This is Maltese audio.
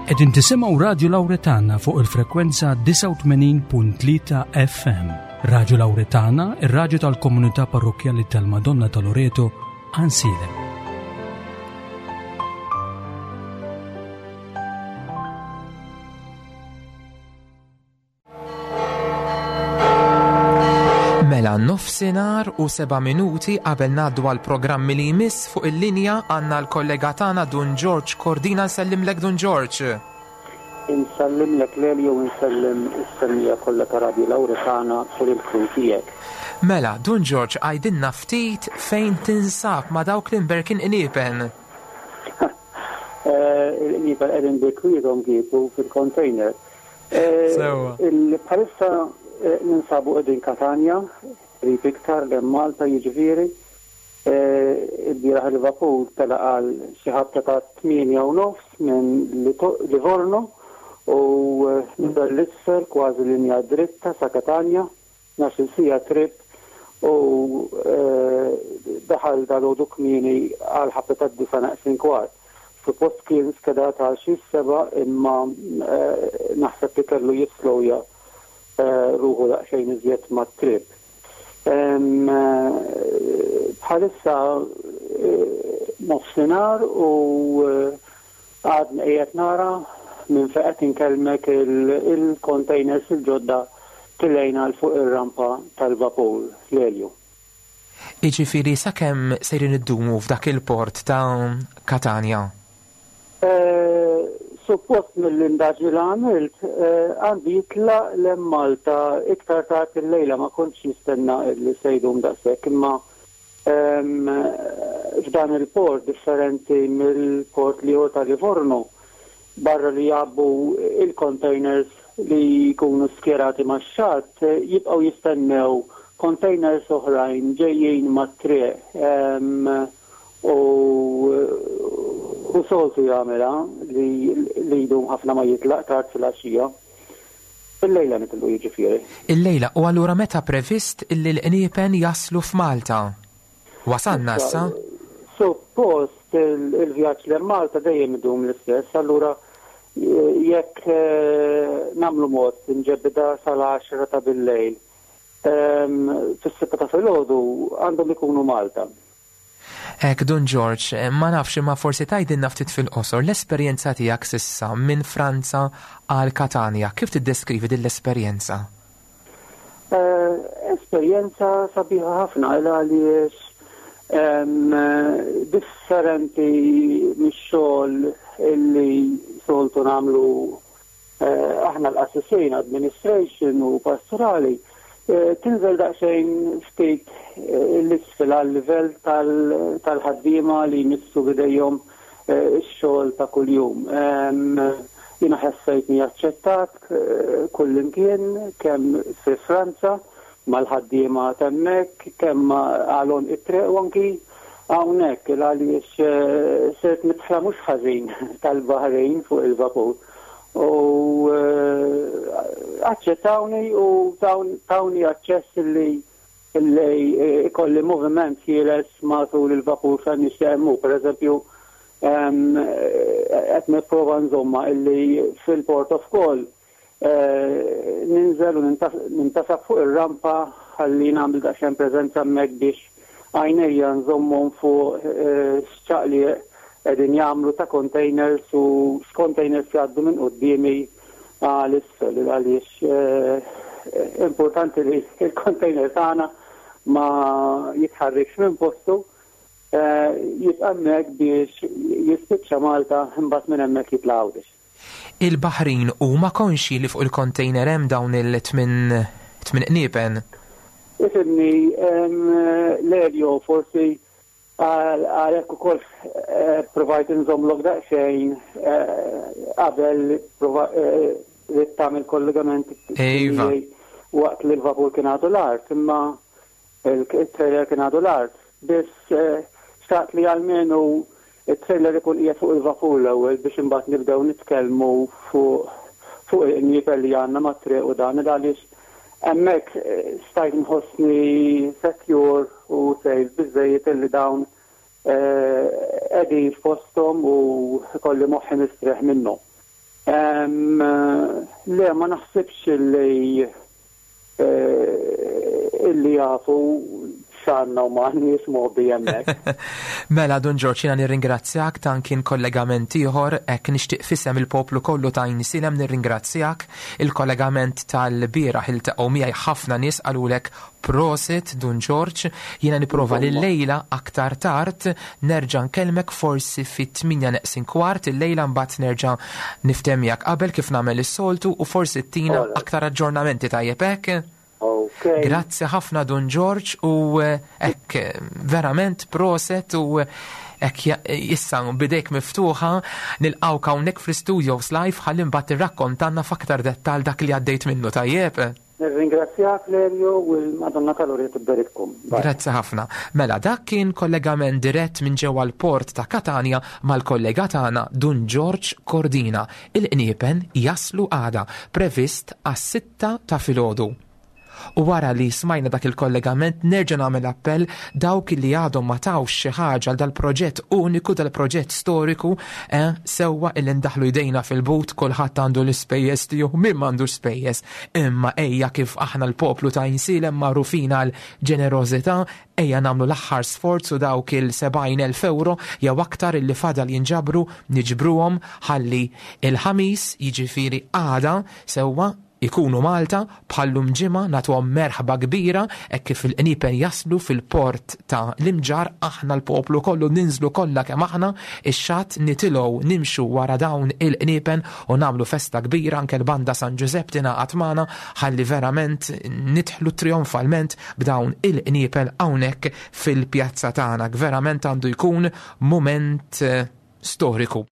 Qegħdin tisimgħu Radju Lawretana fuq il-frekwenza 89.3 FM. Radju Lawretana, ir-radju tal-komunità parrokkjali tal-Madonna ta' Loreto, Ansilem. Mela nofsinhar u seba' minuti qabel ngħaddu għal programmi li jmiss fuq il-linja għandna l-kollega tagħna Dun George Cordina nsellimlek Dun George. Insellimlek Lelio u nsellem is-semmiegħa kollha ta' Radio Lauretana u lill-crew tiegħek. Mela, Dun George għidilna ftit fejn tinsab ma' dawk l-imberkin qniepen. Il-qniepen qegħdin bi kwiethom kieku fil-container. Sewwa. Bħalissa ninsabu qegħdin Katanja, qrib iktar lejn Malta jiġifieri. Ilbieraħ il-vapur telaq għal xi ħabta ta' 8:30 minn Livorno u niżel 'l isfel kważi linja dritta sa Katanja. 12-il siegħa trip u daħal dalgħodu kmieni għall-ħabta tad-disgħa neqsin kwart. Suppost kien skedat għal xi s-sebgħa imma naħseb li kellu jisslowja ruħu daqsxejn iżjed mat-trip. Bħalissa nofsinhar u Għadni qiegħed nara minn fejn qed inkellmek il-containers il-ġodda tilgħin għal fuq ir-rampa tal-vapur l-Elju. Jiġifieri sakemm sejrin iddumu f'dak il-port ta' Katanja? Suppost mill-indaġni li għamilt għandu jitlaq 'l hemm Malta iktar tard illejla, ma kontx nistenna li se jdum daqshekk imma F'dan il-port, differenti mill-port l-ieħor ta' Livorno, barra li jgħabbu il-containers li jkunu skjerati max-xatt, jibqgħu jistennew containers oħrajn ġejjin mat-triq u soltu jagħmilha li jdum ħafna ma jitlaq tard filgħaxija. Illejla nitilqu jiġifieri. Illejla, u allura meta previst illi l-qniepen jaslu f'Malta? Wasalna issa? Suppost il-vjaġġ lejn Malta dejjem idum l-istess, allura jekk nagħmlu mod nġebbidha sal-għaxra ta' billejl, fis-sitta ta' filgħodu għandhom ikunu Malta. Hekk, Dun Ġorġ, ma nafx imma forsi tgħidilna ftit fil-qosor l-esperjenza tiegħek s'issa minn Franza għal Katanja. Kif tiddeskrivi din l-esperjenza? Esperjenza sabiħa ħafna il għaliex differenti mix-xogħol illi soltu nagħmlu Aħna l-qassisin, administration u pastorali, tinżel daqsxejn ftit 'l isfel għal-livell tal-ħaddiema li jmissu b'idejhom ix-xogħol ta' kuljum. Jiena ħassejtni aċċettat kullimkien kemm fi Franza mal-ħaddiema t'hemmhekk, kemm għal għonq it-triq u anki hawnhekk il-għaliex sirt midħla mhux ħażin tal-Baħrin fuq il-vapur. U aċċettawni u tawni aċċess li li ikolli moviment ħieles matul il-vapur fejn nixtieq immur. Pereżempju, qed nipprova nżommha illi fil-port of call Ninżel u nintasab fuq ir-rampa ħalli nagħmel daqsxejn preżenza hemmhekk biex għajnejja nżommhom fuq x'ċaqliq qegħdin jagħmlu ta' containers u x'containers jgħaddu minn quddiemi għal isfel għaliex importanti li l-container tagħna ma jitħarrikx minn postu jibqa' hemmhekk biex jispiċċa Malta imbagħad minn hemmhekk jitla' Għawdex. Il-baħrin huma konxji li fuq il-kontejner hemm dawn il-tminn tminn qniepen? Ifhimni, Lelio, forsi għalhekk ukoll provajt inżommlok daqsxejn qabel ridt tagħmel kollegament tiegħi waqt li l-vapur kien għadu l-art, imma Il-trailer kien għadu l-art. Biss xtaqt li almenu t-trailer ikun qiegħed fuq il-vapur l-ewwel biex imbagħad nibdew nitkellmu fuq fuq il-qniepen li għandna mat-triq u dan il għaliex hemmhekk stajt nħossni secure u safe biżżejjed illi dawn qegħdin f'posthom u jkolli moħħi mistrieħ minnhom. Le, ma naħsibx li illi jafu x'għandna u m'għandniex mgħobbi hemmhekk. Mela Dun Ġorġ jiena nirringrazzjak dan kien kollegament ieħor hekk nixtieq f'isem il-poplu kollu ta' Għajnsielem nirringrazzjak. Il-kollegament tal-bieraħ iltaqgħu miegħi ħafna nies qalulek Prosit Dun Ġorġ, jiena nipprova li llejla aktar tard nerġa' nkellmek forsi fit-tmienja neqsin kwart illejla mbagħad nerġa' niftehem miegħek qabel kif nagħmel is-soltu u forsi ttina aktar aġġornamenti tajjeb hekk? Grazzi ħafna Dun Ġorġ u hekk verament proset u hekk issa bidejk miftuħa nilqgħuk hawnhekk fl-istudios live ħalli mbagħad tirrakkontanna f'aktar dettall dak li għaddejt minnu tajjeb? Nirringrazzjak Lelio u l-Madonna ta' Loreto tberikkom. Grazzi ħafna. Mela dak kien kollegament dirett minn ġewwa l-port ta' Katanja mal-kollega tagħna Dun Ġorġ Cordina. Il-qniepen jaslu għada, previst għas-sitta ta' filgħodu. U wara li smajna dak il-kollegament nerġa' nagħmel appell dawk li għadhom ma tawx xi ħaġa għal dal-proġett uniku, dal-proġett storiku, eh, sewwa illi ndaħlu jdejna fil-but kulħadd għandu l-ispejjeż tiegħu, min m'għandux spejjeż. Imma ejja kif aħna l-poplu ta' Għajnsielem magħrufin għal ġenerożità, ejja nagħmlu l-aħħar sforz u dawk il-70,000 ewro jew aktar illi fadal jinġabru niġbruhom ħalli il-Ħamis, jiġifieri għada, sewwa, Ikunu Malta, bħal-lum ġimgħa nagħtuhom merħba kbira hekk kif il-qniepen jaslu fil-port ta' l-Imġarr aħna l-poplu kollu ninżlu kollha kemm aħna ix-xatt nitilgħu nimxu wara dawn il-qniepen u nagħmlu festa kbira anke l-Banda San Ġużepp tingħaqad magħna ħalli verament nidħlu trionfalment b'dawn il-qniepel hawnhekk fil-pjazza tagħna. Verament għandu jkun mument storiku.